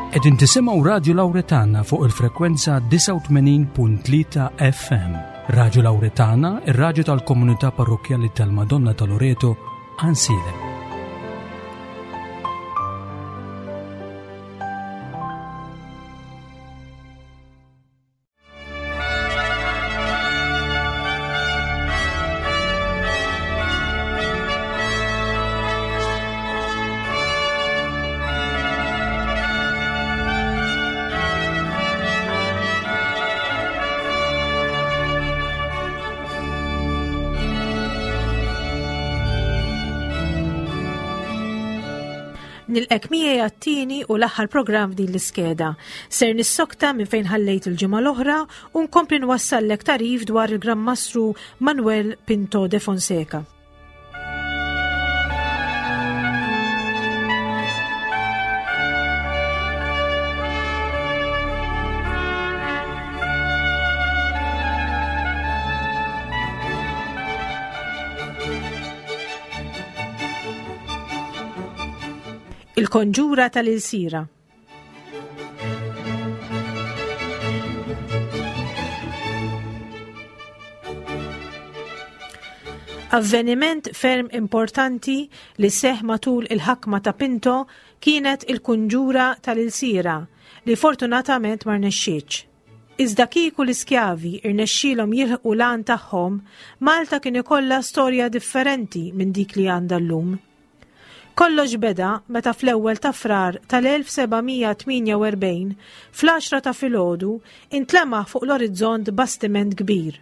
Qegħdin tisimgħu Radju Lawretana fuq il-frekwenza 89.3 FM. Radju Lawretana, ir-radju tal-komunità parrokkjali tal-Madonna ta' Loreto, Ansilem. Nilqek miegħi għat-tieni u l-aħħar programm f'din l-iskeda. Ser nissokta minn fejn ħallejt il-ġimgħa l-oħra u nkompli nwassallek tarif dwar il-Gran Mastru Manuel Pinto de Fonseca. Il-konġura tal-ilsira. Avveniment ferm importanti li seħ matul il-ħakma ta' Pinto kienet il-kunġura tal-ilsira li fortunatament ma rnexxietx. Iżda kieku l-iskjavi irnexxielhom jilħqu l-għan tagħhom, Malta kien ikollha storja differenti minn dik li għandha llum. Kollox beda meta fl-ewwel ta' Frar tal-1748, fl-għaxra ta' filgħodu, intlemaħ fuq l-orizzont bastiment kbir.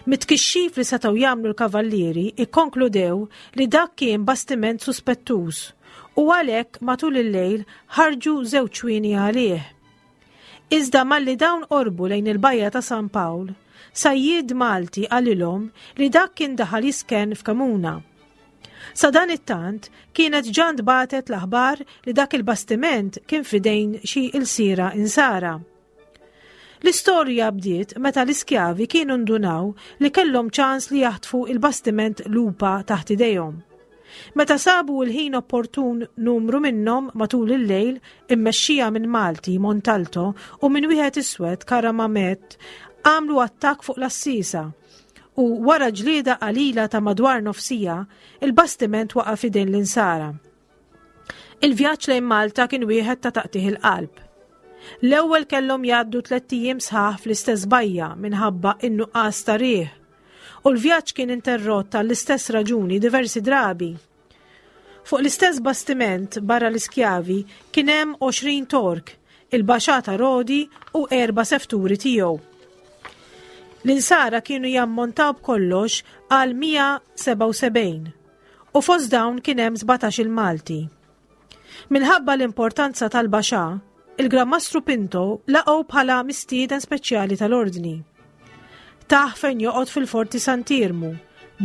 Mit-tkixxif li setgħu jagħmlu l-kavallieri ikkonkludew li dak kien bastiment suspettuż u għalhekk matul il-lejl ħarġu żewġ ċwieni għalih. Iżda malli dawn qorbu lejn il-bajja ta' San Pawl, sajjied Malti qalilhom li dak kien daħal jiskenn f'Kamuna. Sadanittant, kienet ġa ntbagħtet l-aħbar li dak il-bastiment kien f'idejn xi ilsiera Insara. L-istorja bdiet meta l-iskjavi kienu ndunaw li kellhom ċans li jaħtfu il-bastiment Lupa taħt idejhom. Meta sabu l-ħin opportun numru minnhom matul il-lejl immexxija minn Malti, Montalto, u minn wieħed iswed, Karamamet, għamlu attakk fuq l-għassiesa u wara ġlieda qalila ta' madwar nofsija, il-bastiment waqa' f'idejn l-Insara. Il-vjaġġ lejn Malta kien wieħed ta' taqtigħ il-qalb. L-ewwel kellhom jgħaddu tlett ijiem sħaħ fl-istess bajja minħabba in-nuqqas ta' riħ. U l-vjaġġ kien interrott għall-istess raġuni diversi drabi. Fuq l-istess bastiment barra l-iskjavi kien hemm 20 Tork, il-Baxà ta' Rodi u erba' sefturi tiegħu. L-insara kienu jammontaw b'kollox għal 177 u fost dawn kien hemm 17 il-Malti. Minħabba l-importanza tal-Baxà, il-Gran Mastru Pinto laqgħu bħala mistieden speċjali tal-Ordni. Tah fejn joqgħod fil-Forti Sant'Iermu,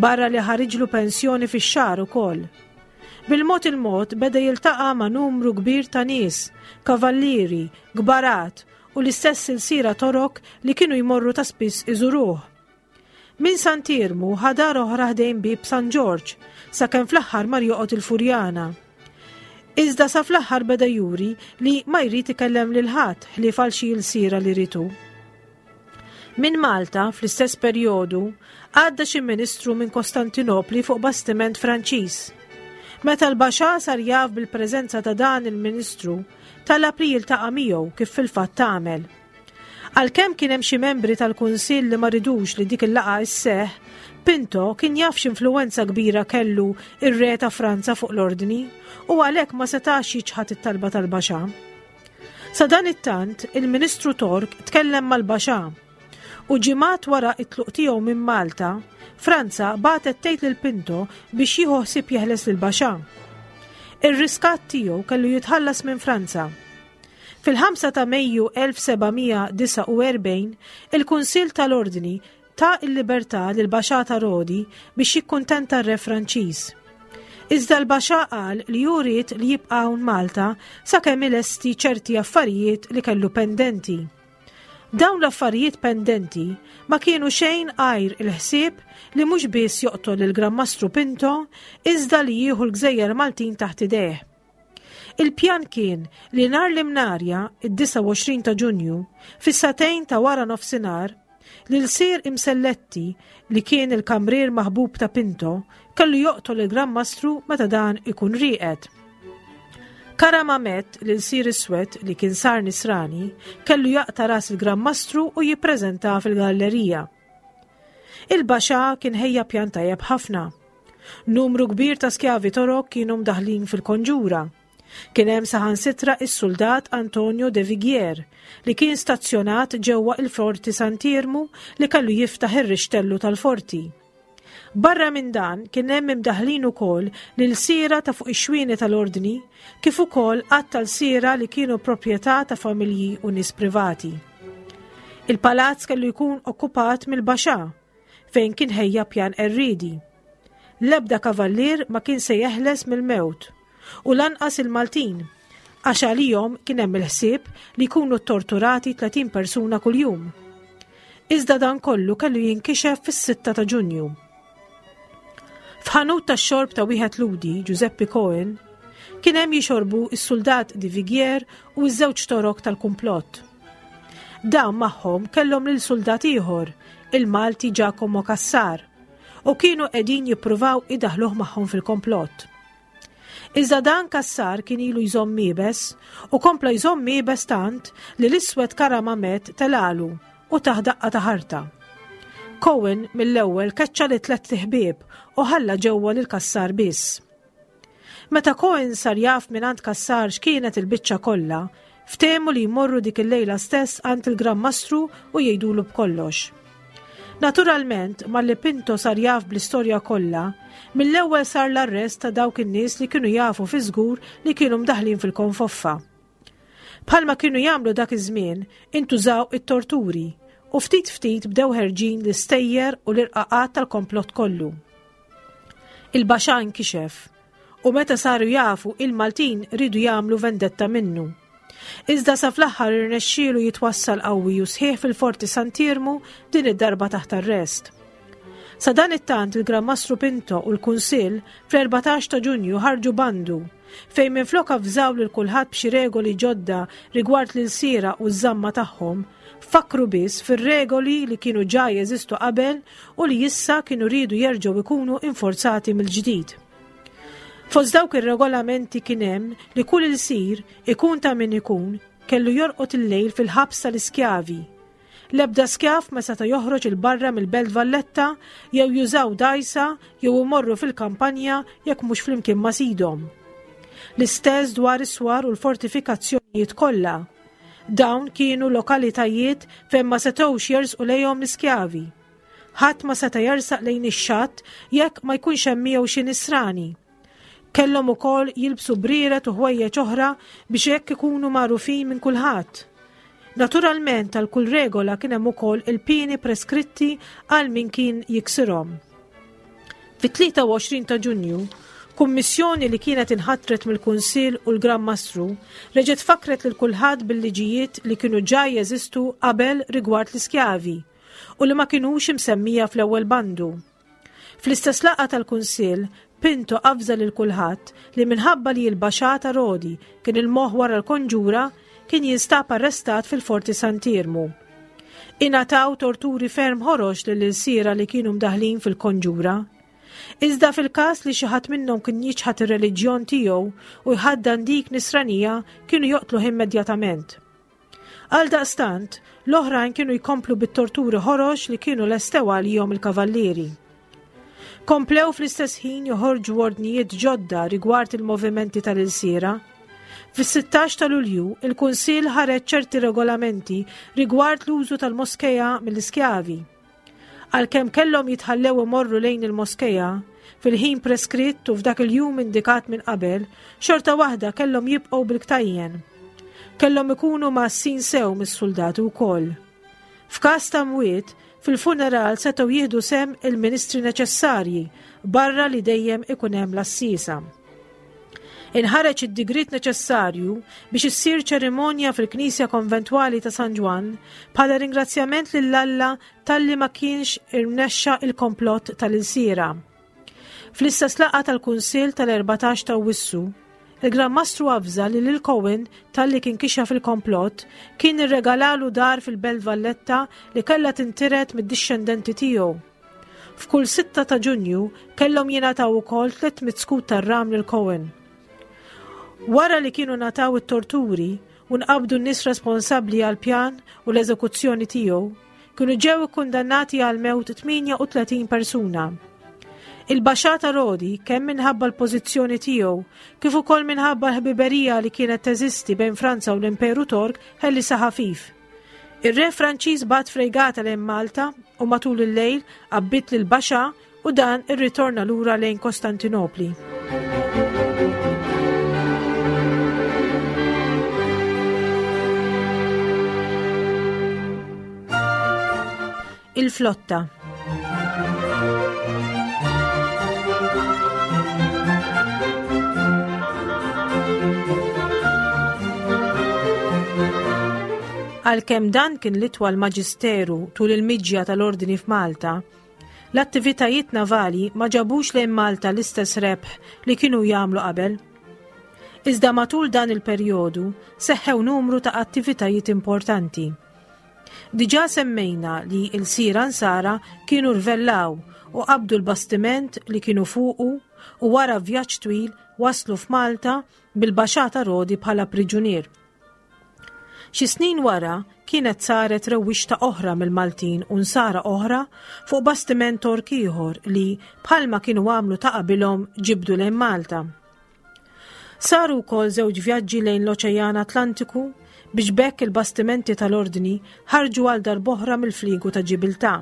barra li ħariġlu pensjoni fix-xahar ukoll. Bil-mod il-mod beda jiltaqa' ma' numru kbir ta' nies, kavallieri, kbarat u l-istess ilsiera Torok li kienu jmorru ta' spiss iżuruh. Minn Sant'Iermu ħa dar oħra ħdejn bieb San Ġorġ, sakemm fl-aħħar mar joqgħod il-Furjana. Iżda sa fl-aħħar beda juri li ma jrid ikellem lil ħadd ħlief għal xi ilsiera li ried hu. Minn Malta, fl-istess perjodu, għadda xi ministru minn Kostantinopli fuq bastiment Franċiż. Meta l-Baxà sar jaf bil-preżenza ta' dan il-ministru, talab li jiltaqa' miegħu kif fil-fatt għamel. Għalkemm kien hemm xi membri tal-Kunsill li ma ridux li dik il-laqgħa isseħħ, Pinto kien jaf x'influwenza kbira kellu ir-re ta' Franza fuq l-Ordni u għalhekk ma setax jiċħad it-talba tal-Baxà. Sadanittant, il-Ministru Tork tkellem mal-Baxà u ġimgħat wara t-tluq tiegħu minn Malta, Franza bagħtet tgħid lil Pinto biex jieħu ħsieb jeħles lill-Baxà. Ir-riskatt tiegħu kellu jitħallas minn Franza. Fil-5 ta' Mejju 1749, il-Kunsill tal-Ordni ta l-libertà lil Baxà ta' Rodi biex jikkuntenta r-Re Franċiż. Iżda l-Baxà qal li hu ried li jibqa' hawn Malta sakemm ilesti ċerti affarijiet li kellu pendenti. Dawn l-affarijiet pendenti ma kienu xejn għajr il-ħsieb li mhux biss joqtol lill-Gran Mastru Pinto iżda li jieħu l-gżejjer Maltin taħt idejh. Il-pjan kien li nhar l-Imnarja, id-29 ta' Ġunju, fis-sagħtejn ta' wara nofsinhar, l-ilsir Imselletti, li kien il-kamrier maħbub ta' Pinto, kellu joqtol il-Gran Mastru meta dan ikun rieqed. Karamamet, l-ilsir iswed li kien sar nisrani, kellu jaqta' ras il-Gran Mastru u jippreżentah fil-gallerija. Il-Baxà kien ħejja pjan tajjeb ħafna. Numru kbir ta' skjavi Torok kienu mdaħħlin fil-konġura. Kien hemm saħansitra is-suldat Antonio de Viguier li kien stazzjonat ġewwa il-Forti Sant'Iermu li kellu jiftaħ ir-rixtellu tal-forti. Barra minn dan kien hemm imdaħħlin ukoll l-ilsiera ta' fuq ix-xwieni tal-Ordni kif ukoll għadd ta' lsiera li kienu proprjetà ta' familji u nies privati. Il-palazz kellu jkun okkupat mill-Baxà fejn kien ħejja pjan qerriedi. L-ebda kavallier ma kien se jeħles mill-mewt u lanqas il-Maltin, għax għalihom kien hemm il-ħsieb li jkunu ttorturati 30 persuna kuljum. Iżda dan kollu kellu jinkixef fis-6 ta' Ġunju. F'ħanut tax-xorb ta' wieħed Lhudi, Giuseppe Cohen, kien hemm jixorbu s-suldat Di Vigier u ż-żewġ torok tal-kumplott. Dawn magħhom kellhom lil suldat ieħor, il-Malti Giacomo Cassar, u kienu qegħdin jippruvaw idaħluh magħhom fil-komplott. Iżda dan Cassar kien ilu jżomm iebes u kompla jżomm iebes tant li l-iswed Karamamet telalu u tah daqqa ta' ħarta. Cohen mill-ewwel keċċa li tlett iħbieb u ħalla ġewwa lil Cassar biss. Meta Cohen sar jaf mingħand Cassar x'kienet il-biċċa kollha, ftehmu li jmorru dik il-lejla stess għand il-Gran Mastru u jgħidulu b'kollox. Naturalment, malli Pinto sar jaf bl-istorja kollha, mill-ewwel sar l-arrest ta' dawk in-nies li kienu jafu fi żgur li kienu mdaħħlin fil-konfoffa. Bħalma kienu jagħmlu dak iż-żmien, intużaw it-torturi u ftit ftit bdew ħerġin l-istejjer u l-irqaqat tal-komplott kollu. Il-Baxà inkixef u meta saru jafu il-Maltin riedu jagħmlu vendetta minnu. Iżda sa fl-aħħar irnexxielu jitwassal qawwi u sħiħ fil-Forti Sant'Iermu din id-darba taħt arrest. Sa dan it-tant il-Gran Mastru Pinto u l-Kunsill fl-14 ta' Ġunju ħarġu bandu fejn minflok avżaw lil kulħadd b'xi regoli ġodda rigward l-ilsiera u ż-żamma tagħhom, fakkru biss fir-regoli li kienu ġa jeżistu qabel u li issa kienu riedu jerġgħu jkunu inforzati mill-ġdid. Fost dawk ir-regolamenti kien hemm li kull ilsir, ikun ta' min ikun, kellu jorqod il-lejl fil-ħabs tal-iskjavi. L-ebda skjav ma seta' joħroġ 'il barra mill-Belt Valletta jew jużaw dgħajsa jew imorru fil-kampanja jekk mhux flimkien ma' sidhom. L-istess dwar is-swar u l-fortifikazzjonijiet kollha. Dawn kienu lokalitajiet fejn ma setgħux jersqu lejhom l-iskjavi. Ħadd ma seta' jersaq lejn ix-xatt jekk ma jkunx hemm miegħu xi nisrani. Kellhom ukoll jilbsu brieret u ħwejjeġ oħra biex hekk ikunu magħrufin minn kulħadd. Naturalment għal kull regola kien hemm ukoll il-pieni preskritti għal min kien jiksirhom. Fit-23 ta' Ġunju, kummissjoni li kienet inħatret mill-Kunsill u l-Gran Mastru reġgħet fakkret lil kulħadd bil-liġijiet li kienu ġa jeżistu qabel rigward l-iskjavi u li ma kinux imsemmija fl-ewwel bandu. Fl-istess laqgħa tal-Kunsill, Pinto avża lil kulħadd li minħabba li l-Baxà ta' Rodi kien il-moħħ wara l-konġura, kien jinstab arrestat fil-Forti Sant'Iermu. Ingħataw torturi ferm ħorox lill-ilsiera li kienu mdaħħlin fil-konġura. Iżda fil-każ li xi ħadd minnhom kien jiċħad ir-reliġjon tiegħu u jħaddan dik nisranija kienu joqtluh immedjatament. Għaldaqstant, l-oħrajn kienu jkomplu bit-torturi ħorox li kienu lestew għalihom il-kavallieri. Komplew fl-istess ħin joħorġu ordnijiet ġodda rigward il-movimenti tal-ilsiera. Fis-16 ta' Lulju, il-Kunsill ħareġ ċerti regolamenti rigward l-użu tal-moskeja mill-iskjavi. Għalkemm kellhom jitħallew imorru lejn il-moskeja fil-ħin preskritt u f'dak il-jum indikat minn qabel, xorta waħda kellhom jibqgħu bil-ktajjen. Kellhom ikunu mgħassin sew mis-suldati wkoll. F'każ ta' mwiet, fil-funeral setgħu jieħdu sehem il-ministri neċessarji barra li dejjem ikun hemm l-għassiesa. Inħareġ id-digriet neċessarju biex issir ċerimonja fil-Knisja Konventwali ta' San Ġwann bħala ringrazzjament lil Alla talli ma kienx irnexxa il-komplott tal-ilsiera. Fl-istess laqgħa tal-Kunsill tal-14 ta' Awwissu, Il-Gran Mastru avża li lil Cohen talli kien kixef il-komplott, kien irregalalu dar fil-Belt Valletta li kellha tintiret mid-dixxendenti tiegħu. F'kull 6 ta' Ġunju kellhom jingħataw ukoll 300 skud tar-ram lil Cohen. Wara li kienu ngħataw it-torturi u nqabdu n-nies responsabbli għall-pjan u l-eżekuzzjoni tiegħu, kienu ġew ikkundannati għal mewt 38 persuna. Il-Baxà ta' Rodi, kemm minħabba l-pożizzjoni tiegħu, kif ukoll minħabba l-ħbiberija li kienet teżisti bejn Franza u l-Imperu Tork, ħellisha ħafif. Ir-re Franċiż bagħat frejgata lejn Malta u matul il-lejl qabbiet lil Baxà u dan irritorna lura lejn Kostantinopli. Il-flotta. Għalkemm dan kien l-itwal maġisteru tul il-miġja tal-ordni f'Malta, L-attivitajiet navali ma ġabux lejn Malta l-istess rebħ li kienu jagħmlu qabel. Iżda matul dan il-perjodu seħħew numru ta' attivitajiet importanti. Diġà semmejna li l-Sira Nsara kienu rvellaw u qabdu l-bastiment li kienu fuqu u wara vjaġġ twil waslu f'Malta bil-Baxà ta' Rodi bħala priġunier. Xi snin wara kienet saret rewwixta oħra mill-Maltin u Nsara oħra fuq bastiment Tork ieħor li, bħalma kienu għamlu ta' qabilhom, ġibdu lejn Malta. Saru wkoll żewġ vjaġġi lejn l-Oċean Atlantiku biex b'hekk il-bastimenti tal-Ordni ħarġu għal darb'oħra mill-fliegu ta' Ġibiltà.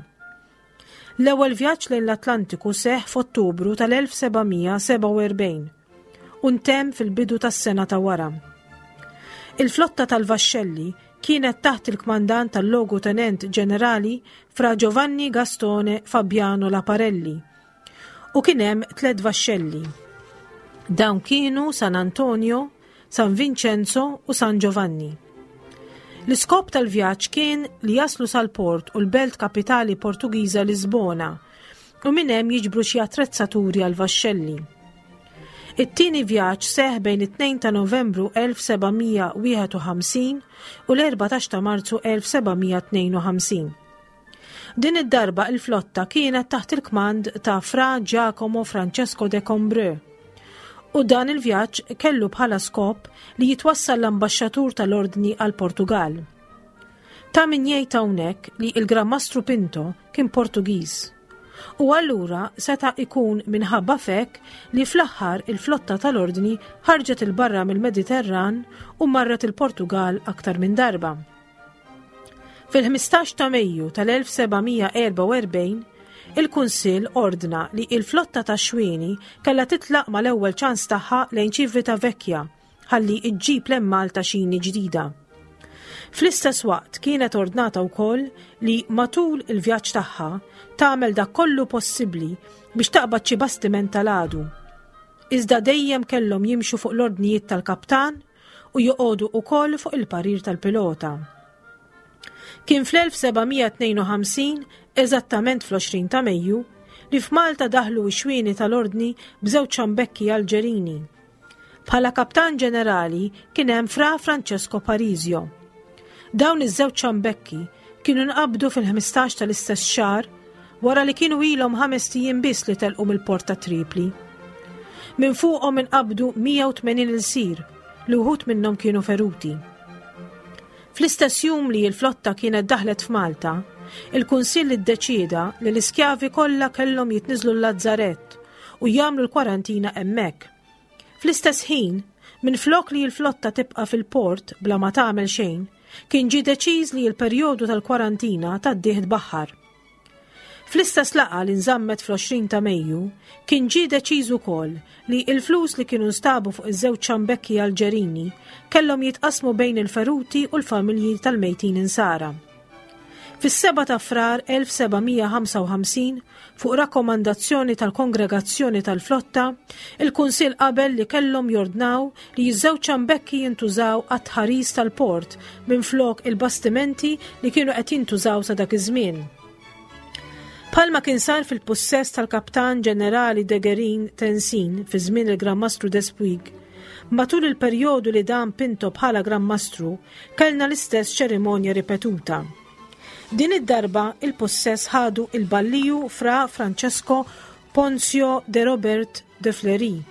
L-ewwel vjaġġ lejn l-Atlantiku seħħ f'Ottubru tal-1747 u ntemm fil-bidu tas-sena ta' wara. Il-flotta tal-vaxxelli kienet taħt il-kmandant tal-Logu Tenent Ġenerali Fra Giovanni Gastone Fabiano Laparelli u kien hemm tliet vaxxelli. Dawn kienu San Antonio, San Vincenzo u San Giovanni. L-iskop tal-vjaġġ kien li jaslu sal-port u l-belt kapitali Portugiża Lisbona u minn hemm jiġbru xi attrezzaturi għal vaxxelli. It-tieni vjaġġ seħ bejn it-2 ta' Novembru 1751 u l-14 ta' Marzu 1752. Din id-darba il-flotta kienet taħt il-kmand ta' Fra Giacomo Francesco de Combreux. U dan il-vjaġġ kellu bħala skop li jitwassal l-ambaxxatur tal-Ordni għal Portugal. Ta' min jgħid hawnhekk li il-Gran Mastru Pinto kien Portugiż. U allura seta' ikun minħabba f'hekk li fl-aħħar il-flotta tal-Ordni ħarġet 'il barra mill-Mediterran u marret il-Portugal aktar minn darba. Fil-15 ta' Mejju tal-1744, il-Kunsill ordna li il-flotta ta' xwieni kellha titlaq mal-ewwel ċans tagħha lejn Civitavecchia ħalli ġġib lejn Malta xini ġdida. Fl-istess waqt kienet ordnata wkoll li matul il-vjaġġ tagħha tagħmel dak kollu possibbli biex taqbad xi bastiment tal-għadu. Iżda dejjem kellhom jimxu fuq l-ordnijiet tal-kaptan u joqogħdu wkoll fuq il-parir tal-pilota. Kien fl-1752, eżattament fl-20 ta' Mejju, li f'Malta daħlu x-xwieni tal-Ordni b'żewġ ċambekki Alġerini. Bħala kaptan ġenerali kien hemm Fra Francesco Parisio. Dawn iż-żewġ ċambekki kienu nqabdu fil-15 tal-istess xahar wara li kienu ilhom ħamest ijiem biss li telqu mill-port ta' Tripli. Minn fuqhom inqabdu 180 ilsir li wħud minnhom kienu feruti. Fl-istess jum li l-flotta kienet daħlet f'Malta, il-Kunsill iddeċieda li l-iskjavi kollha kellhom jitniżlu l-Lazzarett u jagħmlu l-kwarantina hemmhekk. Fl-istess ħin, minflok li l-flotta tibqa' fil-port bla ma tagħmel xejn, kien ġie deċiż li l-perjodu tal-kwarantina tgħaddih tbaħħar. Fl-istess laqgħa li nżammet fl-20 ta' Mejju, kien ġie deċiż ukoll li l-flus li kienu nstabu fuq iż-żewġ ċambekki Alġerini kellhom jitqassmu bejn il-feruti u l-familji tal-mejtin insara. Fis-7 ta' Frar 1755, fuq rakkomandazzjoni tal-Kongregazzjoni tal-Flotta, il-Kunsill qabel li kellhom jordnaw li ż-żewġ ċambekki jintużaw għat-tħaris tal-port minflok il-bastimenti li kienu qed jintużaw sa dak iż-żmien. Bħalma kien sar fil-pussess tal-Kaptan Ġenerali de Guerin Tensin fi żmien il-Gran Mastru Despuig, Matul il-perjodu li dam Pinto bħala Gran Mastru, kellna l-istess ċerimonja ripetuta. Din id-darba il-pussess ħadu il-Balliju Fra Francesco Ponzio de Robert de Fleury.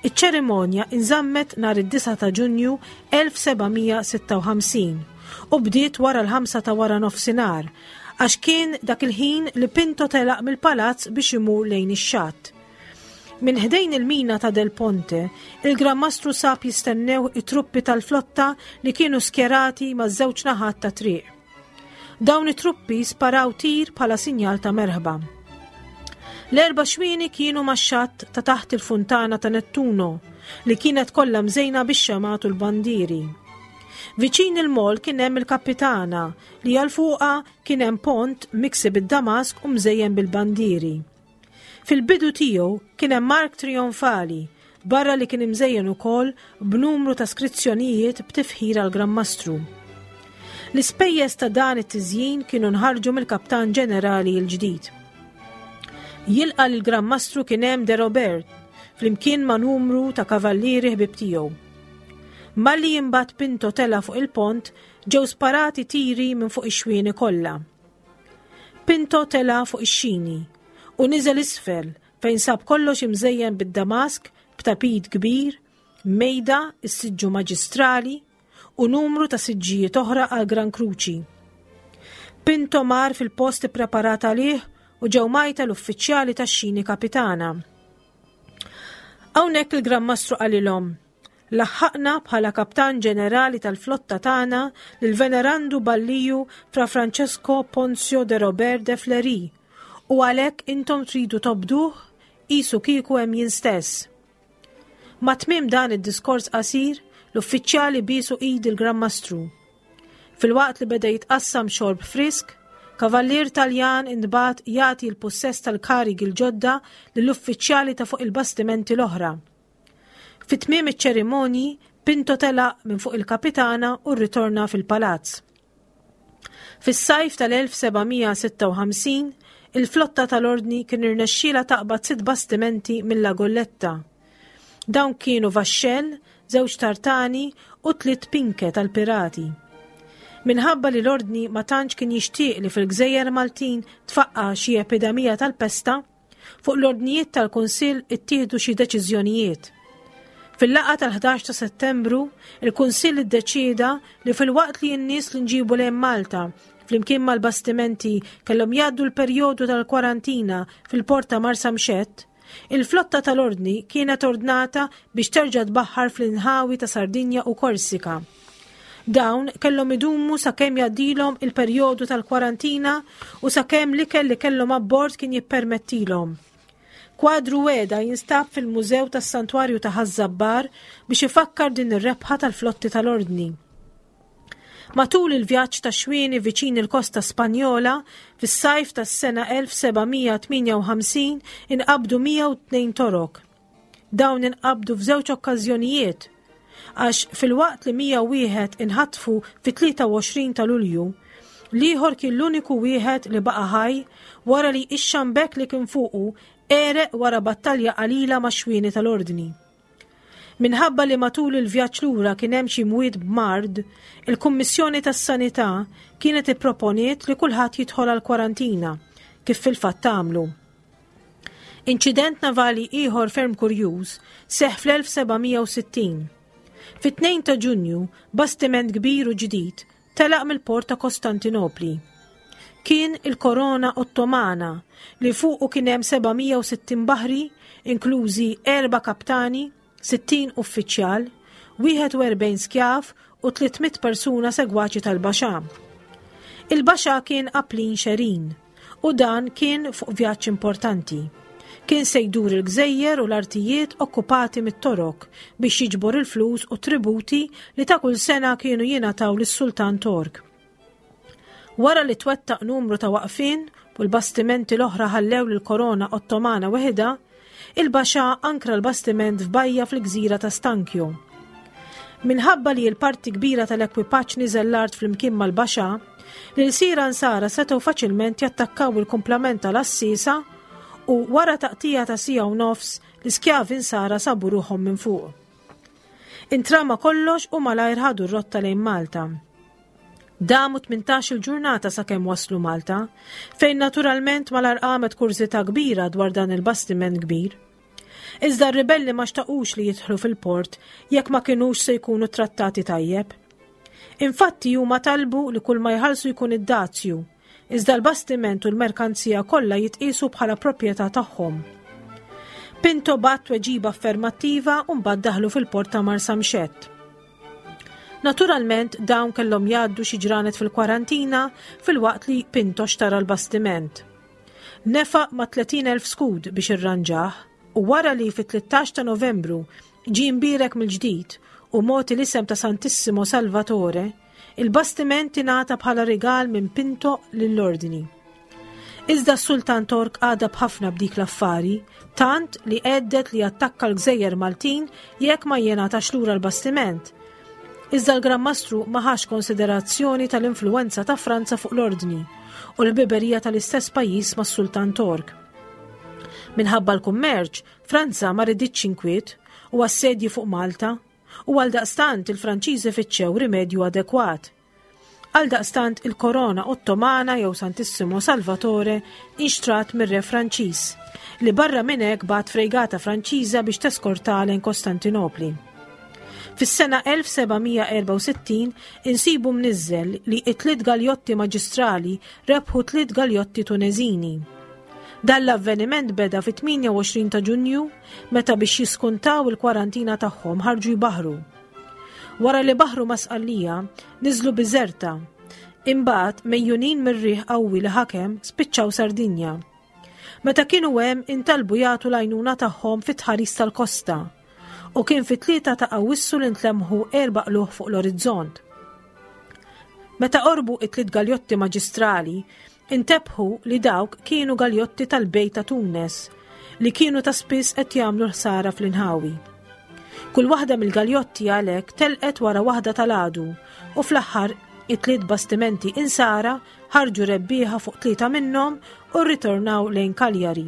Iċ-ċerimonja inżammet nhar id-9 ta' Ġunju 1756 u bdiet wara l-ħamsa ta' wara nofsinhar għax kien dak il-ħin li Pinto telaq mill-palazz biex imur lejn ix-xatt. Minn ħdejn il-mina ta' Del Ponte, il-Gran Mastru sab jistennew it-truppi tal-flotta li kienu skjerati maż-żewġ naħat ta' triq. Dawn it-truppi sparaw tir bħala sinjal ta' merħba. L-erba' xwieni kienu max-xatt ta' taħt il-funtana ta' Nettuno li kienet kollha mżejna bix-xemgħat u l-bandieri. Viċin il-mol kien hemm il-kapitana li għal fuqha kien hemm pont miksi bid-damask u mżejjen bil-bandieri. Fil-bidu tiegħu kien hemm ark trijonfali, barra li kien imżejjen ukoll b'numru ta' skrizzjonijiet b'tifħir għall-Gran Mastru. L-ispejjeż ta' dan it-tiżjin kienu nħarġu mill-Kaptan Ġenerali l-ġdid. Jilqa' lill-Gran Mastru kien hemm De Robert, flimkien ma' numru ta' kavallieri ħbieb tiegħu. Malli imbagħad Pinto tela' fuq il-pont, ġew sparati tiri minn fuq ix-xwieni kollha. Pinto tela' fuq ix-xini u niżel isfel fejn sab kollox imżejjen bid-damask b'tapit kbir, mejda, is-siġġu maġistrali u numru ta' siġġijiet oħra għal Gran Kruċi. Pinto mar fil-post ippreparat għalih u ġew majta l-uffiċjali tax-xini kapitana. Hawnhekk il-Gran Mastru qalilhom, Laħħaqna bħala Kaptan Ġenerali tal-flotta tagħna lill-Venerandu Balliju Fra Francesco Ponzio de Robert de Fleury u għalhekk intom tridu tobduh qisu kieku hemm jien stess. Ma' tmiem dan id-diskors qasir, l-uffiċjali biesu id il-Gran Mastru. Filwaqt li beda jitqassam xorb frisk, kavallier Taljan intbagħat jagħti l-pussess tal-karigi l-ġodda lill-uffiċjali ta' fuq il-bastimenti l-oħra. Fi tmiem iċ-ċerimonji, Pinto telaq minn fuq il-kapitana u rritorna fil-palazz. Fis-sajf tal-1756, il-flotta tal-Ordni kien irnexxielha taqbad sitt bastimenti mill-La Golletta. Dawn kienu vaxxell, żewġ tartani u tliet pinke tal-pirati. Minħabba li l-Ordni ma tantx kien jixtieq li fil-gżejjer Maltin tfaqqa' xi epidemija tal-pesta, Fuq l-ordnijiet tal-Kunsill ittieħdu xi deċiżjonijiet. Fil-laqgħa tal-11 ta' Settembru, il-Kunsill iddeċieda li filwaqt li n-nies li nġibu lejn Malta flimkien mal-bastimenti kellhom jgħaddu l-perjodu tal-kwarantina fil-port ta' Marsamxett, il-flotta tal-Ordni kienet ordnata biex terġa' tbaħħar fl-inħawi ta' Sardinja u Korsika. Dawn kellhom idumu sakemm jgħaddilhom il-perjodu tal-kwarantina u sakemm l-ikel li kellhom abbord kien jippermettilhom. Kwadru wegħda jinstab fil-Mużew tas-Santwarju ta' Ħaż-Żabbar biex ifakkar din ir-rebħa tal-flotti tal-Ordni. Matul il-vjaġġ ta' xwieni viċin il-kosta Spanjola, fis-sajf tas-sena 1758 inqabdu 102 Torok. Dawn inqabdu f'żewġ okkażjonijiet għax filwaqt li 101 inħatfu fit-23 ta' Lulju, l-ieħor kien l-uniku wieħed li baqa' ħaj wara li ix-xambek li kien fuqu għereq wara battalja qalila max-xwieni tal-Ordni. Minħabba li matul il-vjaġġ lura kien hemm xi mwiet b'mard, il-Kummissjoni tas-Sanità kienet ipproponiet li kulħadd jidħol għall-kwarantina, kif fil-fatt għamlu. Inċident navali ieħor ferm kurjuż seħħ fl-1760. Fit-2 ta' Ġunju, bastiment kbir u ġdid telaq mill-port ta' Kostantinopli. Kien il-Korona Ottomana li fuqu kien hemm 760 baħri, inklużi erba' kaptani, 60 uffiċjal, 41 skjav u 300 persuna segwaċi tal-Baxà. Il-Baxà kien Aplin Xerin u dan kien fuq vjaġġ importanti. Kien se jdur il-gżejjer u l-artijiet okkupati mit-Torok biex jiġbor il-flus u tributi li ta' kull sena kienu jingħataw lis-Sultan Tork. Wara li twettaq numru ta' waqfien u l-bastimenti l-oħra ħallew lill-korona Ottomana weħidha, il-Baxà ankra l-bastiment f'bajja fil-gżira ta' Stankjo. Minħabba li l-parti kbira tal-ekwipaġġ niżel l-art flimkien mal-Baxà, l-ilsira Nsara setgħu faċilment jattakkaw il-kumplament tal-għassiesa u wara taqtija ta' siegħa u nofs, l-iskjavi Nsara sabu ruħhom minn fuq. Intrama kollox u malajr ħadu r-rotta lejn Malta. Damu 18-il ġurnata sakemm waslu Malta, fejn naturalment malar qamet kurżità kbira dwar dan il-bastiment kbir. Iżda r-ribelli ma xtaqux li jidħlu fil-port jekk ma kinux se jkunu trattati tajjeb. Infatti huma talbu li kull ma jħallsu jkun id-dazju, iżda l-bastiment u l-merkanzija kollha jitqiesu bħala proprjetà tagħhom. Pinto bagħat tweġiba affermattiva u mbagħad daħlu fil-port ta' Marsamxett. Naturalment dawn kellhom jgħaddu xi ġranet fil-kwarantina filwaqt li Pinto xtara l-bastiment. Nefaq ma' 30,000 skud biex irranġah u wara li fit-13 ta' Novembru ġie mbierek mill-ġdid u mogħti l-isem ta' Santissimo Salvatore, il-bastiment ingħata bħala rigal minn Pinto lill-Ordni. Iżda s-Sultan Tork għadab ħafna b'dik l-affari, tant li għeddet li jattakka l-gżejjer Maltin jekk ma jingħatax lura l-bastiment. Iżda l-Gran Mastru ma ħax konsiderazzjoni tal-influwenza ta' Franza fuq l-Ordni u l-ħbiberija tal-istess pajjiż mas-Sultan Tork. Minħabba l-kummerċ, Franza ma riditx inkwiet u assedji fuq Malta u għaldaqstant il-Franċiżi fittxew rimedju adekwat. Għaldaqstant il-korona Ottomana jew Santissimo Salvatore inxtrat mir-re Franċiż, li barra minn hekk bagħat frejgata Franċiża biex teskortha lejn Kostantinopli. Fis-sena 1764 insibu mniżżel li it-tliet galjotti maġistrali rebħu tliet galjotti Tuneżini. Dan l-avveniment beda fit-28 ta' Ġunju meta biex jiskuntaw il-kwarantina tagħhom ħarġu jbaħħru. Wara li baħru ma' Sqallija, niżlu Biżerta. Imbagħad, mejjunin mir-riħ qawwi li ħakem, spiċċaw Sardinja. Meta kienu hemm intalbu jagħtu l-għajnuna tagħhom fit-tħaris tal-kosta u kien fit-tlieta ta' Awwissu li ntlemħu erba' qlugħ fuq l-orizzont. Meta qorbu it-tliet galjotti maġistrali, Intebħu li dawk kienu galjotti tal-Bej ta' Tunes li kienu ta' spiss qed jagħmlu l-ħsara fl-inħawi. Kull waħda mill-galjotti għalhekk telqet wara waħda tal-għadu u fl-aħħar it-tliet bastimenti insara ħarġu rebbieħa fuq tlieta minnhom u rritornaw lejn Cagliari.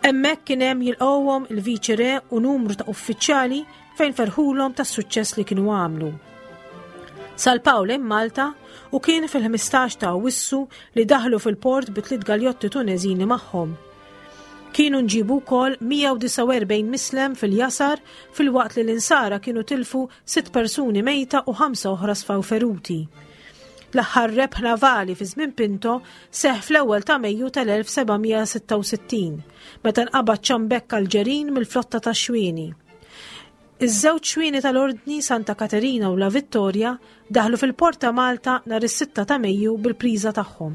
Hemmhekk kien hemm jilqgħuhom il-Viċi Re u numru ta' uffiċjali fejn ferħulhom tas-suċċess li kienu għamlu. Salpaw lejn Malta u kien fil-15 ta' Awwissu li daħlu fil-port bi tliet galjotti Tuneżini magħhom. Kienu nġibu wkoll 149 mislem fil-jasar filwaqt li l-insara kienu tilfu sitt persuni mejta u ħamsa oħra sfaw feruti. L-aħħar rebħ navali fi żmien Pinto seħ fl-ewwel ta' Mejju tal-1766 meta nqabad ċambekk Alġerin mill-flotta tax-Xwieni. Iż-żewġ xwieni tal-Ordni Santa Katerina u La Vittoria daħlu fil-Port ta' Malta nhar is-6 ta' Mejju bil-priża tagħhom.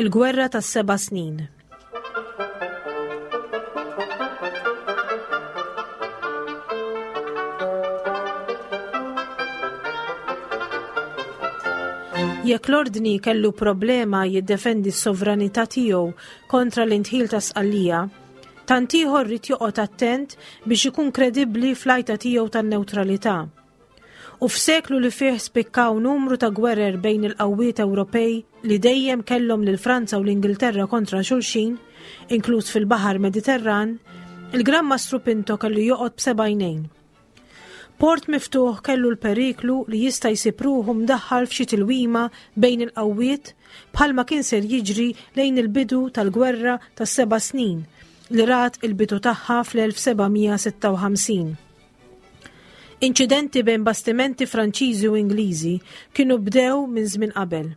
Il-Gwerra tas-Seba' Snin. Jekk l-Ordni kellu problema jiddefendi s-sovranità tiegħu kontra l-indħil ta' Sqallija, tant ieħor ried joqgħod attent biex ikun kredibbli fl-għajta tiegħu tan-newtralità. U f'seklu li fih spikkaw numru ta' gwerer bejn il-qawwiet Ewropej li dejjem kellhom lil Franza u l-Ingilterra kontra xulxin, inkluż fil-Baħar Mediterran, il-Gran Mastru Pinto kellu joqgħod b'seba' għajnejn. Port miftuħ kellu l-periklu li jista' jsib ruħu mdaħħal f'xi tilwima bejn il-qawwiet bħalma kien ser jiġri lejn il-bidu tal-Gwerra tas-Seba' Snin li rat il-bidu tagħha fl-1756. Inċidenti bejn bastimenti Franċiżi u Ingliżi kienu bdew minn żmien qabel.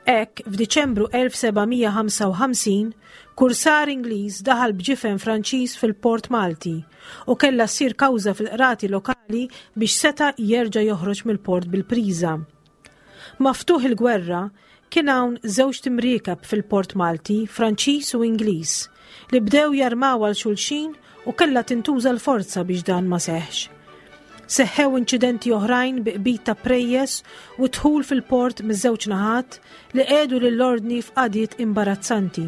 Hekk, f'Diċembru 1755, kursar Ingliż daħal b'ġifen Franċiż fil-port Malti u kellha ssir kawża fil-qrati lokali biex seta' jerġa' joħroġ mill-port bil-priża. Ma' ftuħ il-gwerra, kien hawn żewġt imriekeb fil-port Malti, Franċiż u Ingliż, li bdew jarmaw għal xulxin u kellha tintuża l-forza biex dan ma seħħx. Seħħew inċidenti oħrajn bi qbid ta' prejjes u dħul fil-port miż-żewġ naħat li qiegħdu lill-Ordni f'qagħdiet imbarazzanti.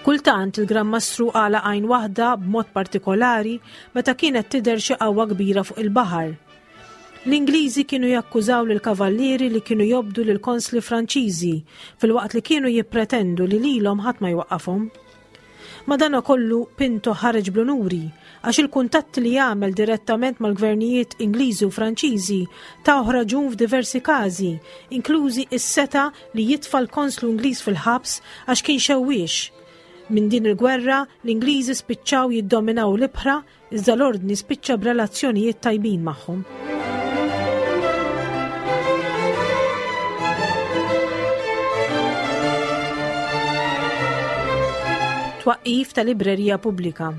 Kultant il-Gran Mastru għalaq għajn waħda b'mod partikolari meta kienet tidher xi qawwa kbira fuq il-baħar. L-Ingliżi kienu jakkużaw lill-Kavallieri li kienu jobdu lill-konsli Franċiżi filwaqt li kienu jippretendu li lilhom ħadd ma jwaqqafhom. Madanakollu Pinto ħareġ bl-unuri għax il-kuntatti li għamel direttament mal-gvernijiet Ingliżi u Franċiżi tawh raġun f'diversi każi, inklużi s-setgħa li jitfa' l-konslu Ingliż fil-ħabs għax kien xewwiex. Minn din il-gwerra, l-Ingliżi spiċċaw jiddominaw l-ibħra iżda l-Ordni spiċċa b'relazzjonijiet tajbin magħhom. Twaqqif ta' librerija pubblika.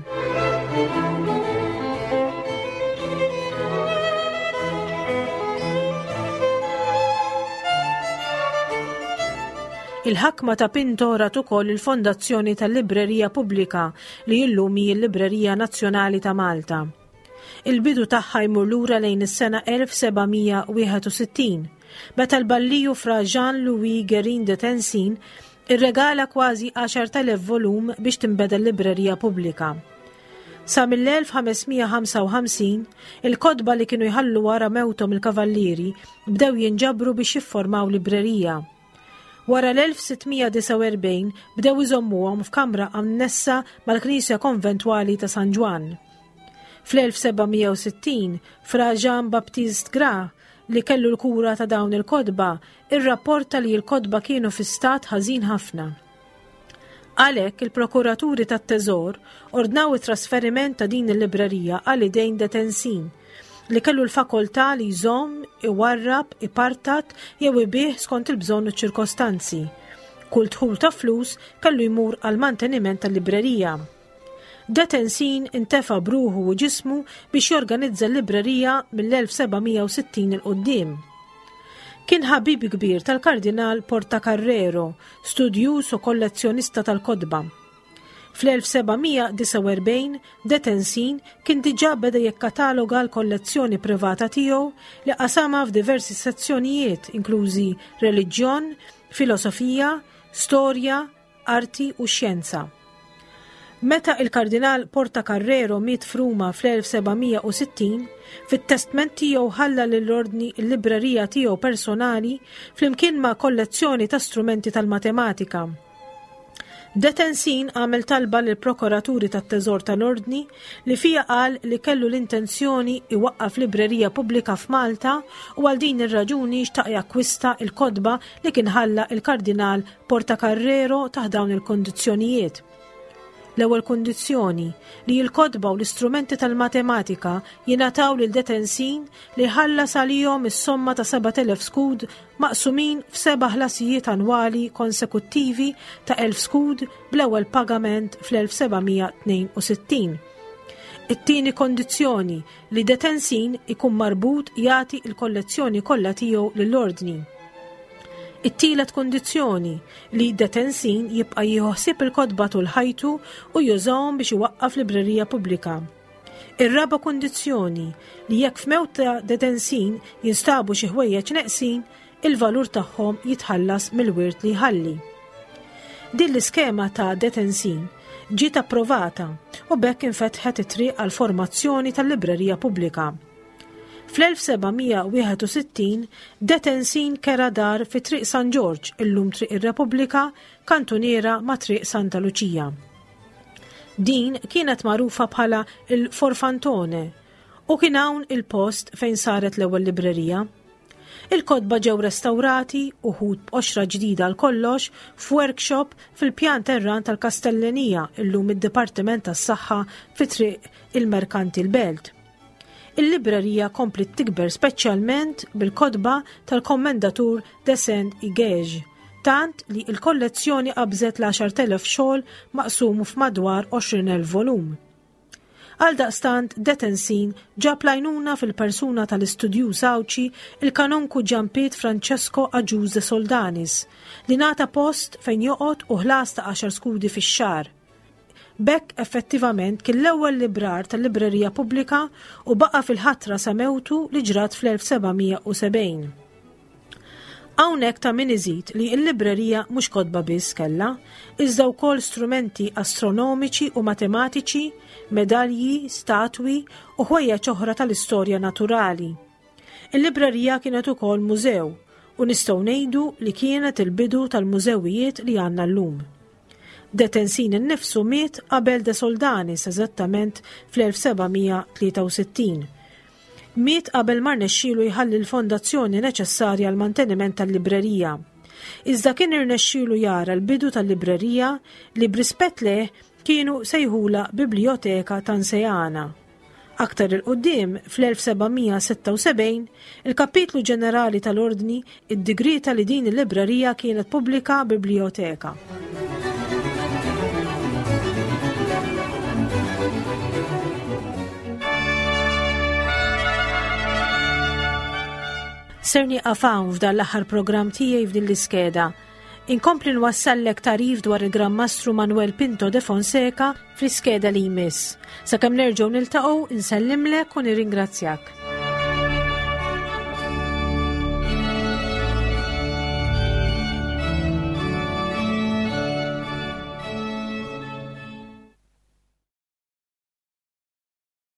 Il-ħakma ta' Pinto rat ukoll il-fondazzjoni tal-Librerija Pubblika li illum hi l-Librerija Nazzjonali ta' Malta. Il-bidu tagħha jmur lura lejn is-sena 1761, meta l-balliju Fra Jean-Louis Guérin de Tencin irregala kważi 10,000 volum biex tinbeda l-librerija pubblika. Sa mill-1555, il-kotba li kienu jħallu wara mewthom il-kavallieri bdew jinġabru biex jifformaw librerija. Wara l-1649 bdew iżommuhom f'kamra annessa mal-knisja konventwali ta' San Ġwann. Fl-1760, Fra Jean Baptiste Gras, li kellu l-kura ta' dawn il-kotba, irrapporta li l-kotba kienu fi stat ħażin ħafna. Għalhekk il-prokuraturi tat-Teżor ordnaw it-trasferiment ta' din il-librerija għal idejn Detensin, li kellu l-fakoltà li jżomm, iwarrab, ipartat jew ibigħ skont il-bżonn u ċ-ċirkostanzi. Kull dħul ta' flus kellu jmur għall-manteniment tal-librerija. Detensin intefa' b'ruħu u ġismu biex jorganizza l-librerija mill-1760 'il quddiem. Kien ħabib kbir tal-Kardinal Portacarrero, studjuż u kollezzjonista tal-kotba. Fl-1749, Detensin kien diġà beda jikkataloga l-kollezzjoni privata tiegħu li qasamha f'diversi sezzjonijiet inklużi reliġjon, filosofija, storja, arti u xjenza. Meta il-Kardinal Portacarrero miet f'Ruma fl-1760, fit-testment tiegħu ħalla lill-Ordni l-librerija tiegħu personali flimkien ma' kollezzjoni ta' strumenti tal-matematika. Detensin għamel talba lill-prokuraturi tat-Teżor tal-Ordni li fiha qal li kellu l-intenzjoni iwaqqaf librerija pubblika f'Malta u għal din ir-raġuni xtaq jakkwista l-kotba li kien ħalla il-Kardinal Portacarrero taħt dawn il-kundizzjonijiet. L-ewwel kundizzjoni li l-kotba u l-istrumenti tal-matematika jingħataw lil Detensin li jħallas għalihom is-somma ta' 7,000 skud maqsumin f'seba' ħlasijiet annwali konsekuttivi ta' 1,000 skud bl-ewwel pagament fl-1762. It-tieni kondizzjoni li Detensin ikun marbut jagħti l-kollezzjoni kollha tiegħu lill-Ordni. It-tielet kundizzjoni li Detensin jibqa' jieħu ħsieb il-kotba tul ħajtu u jużahom biex iwaqqaf librerija pubblika. Ir-raba' kundizzjoni li jekk f'mewt ta' Detensin jinstabu xi ħwejjeġ neqsin, il-valur tagħhom jitħallas mill-wirt li jħalli. Din l-iskema ta' Detensin ġiet approvata u b'hekk infetħet it-triq għall-formazzjoni tal-librerija pubblika. Fl-1761 Detensin kera dar fi Triq San Ġorġ, illum Triq ir-Repubblika, kantuniera ma' Triq Santa Luċija. Din kienet magħrufa bħala l-Forfantone u kien hawn il-post fejn saret l-ewwel librerija. Il-kotba ġew restawrati, uħud b'qoxra ġdida għal kollox, f'workshop fil-pjan terran tal-Kastellenija, illum id-Dipartiment tas-Saħħa fi Triq il-Merkanti l-Belt. Il-librerija kompliet tikber speċjalment bil-kotba tal-Kommendatur de Saint-Igège, tant li l-kollezzjoni qabżet l-10,000 xogħol maqsum f'madwar 20,000 volum. Għaldaqstant, Detensin ġab l-għajnuna fil-persuna tal-istudjuż Għawdxi il-Kanonku Ġanpiet Francesco Agius de Soldanis, li ngħata post fejn joqgħod u ħlas ta' għaxar skudi fix-xahar. B'hekk effettivament kien l-ewwel librar tal-librerija pubblika u baqa' fil-ħatra sa mewtu li ġrat fl-1770. Hawnhekk ta' min iżid li l-librerija mhux kotba biss kellha, iżda wkoll strumenti astronomiċi u matematiċi, medalji, statwi u ħwejjeġ oħra tal-istorja naturali. Il-librerija kienet ukoll mużew u nistgħu ngħidu li kienet il-bidu tal-mużewijiet li għandna llum. De Tensin innifsu miet qabel De Soldanis eżattament fl-1763. Miet qabel ma rnexxielu jħalli l-fondazzjoni neċessarja għall-manteniment tal-librerija. Iżda kien irnexxielu jara l-bidu tal-librerija li b'rispett lejh kienu sejħulha Biblioteka Tanseana. Aktar 'il quddiem, fl-1776, il-Kapitlu Ġenerali tal-Ordni iddigrieta li din il-librerija kienet pubblika biblioteka. Ser nieqaf hawn f'dan l-aħħar programm tiegħi f'din l-iskeda. Inkompli nwassallek tagħrif dwar il-Gran Mastru Manuel Pinto de Fonseca fl-iskeda li jmiss. Sakemm nerġgħu niltaqgħu, insellimlek u nirringrazzjak.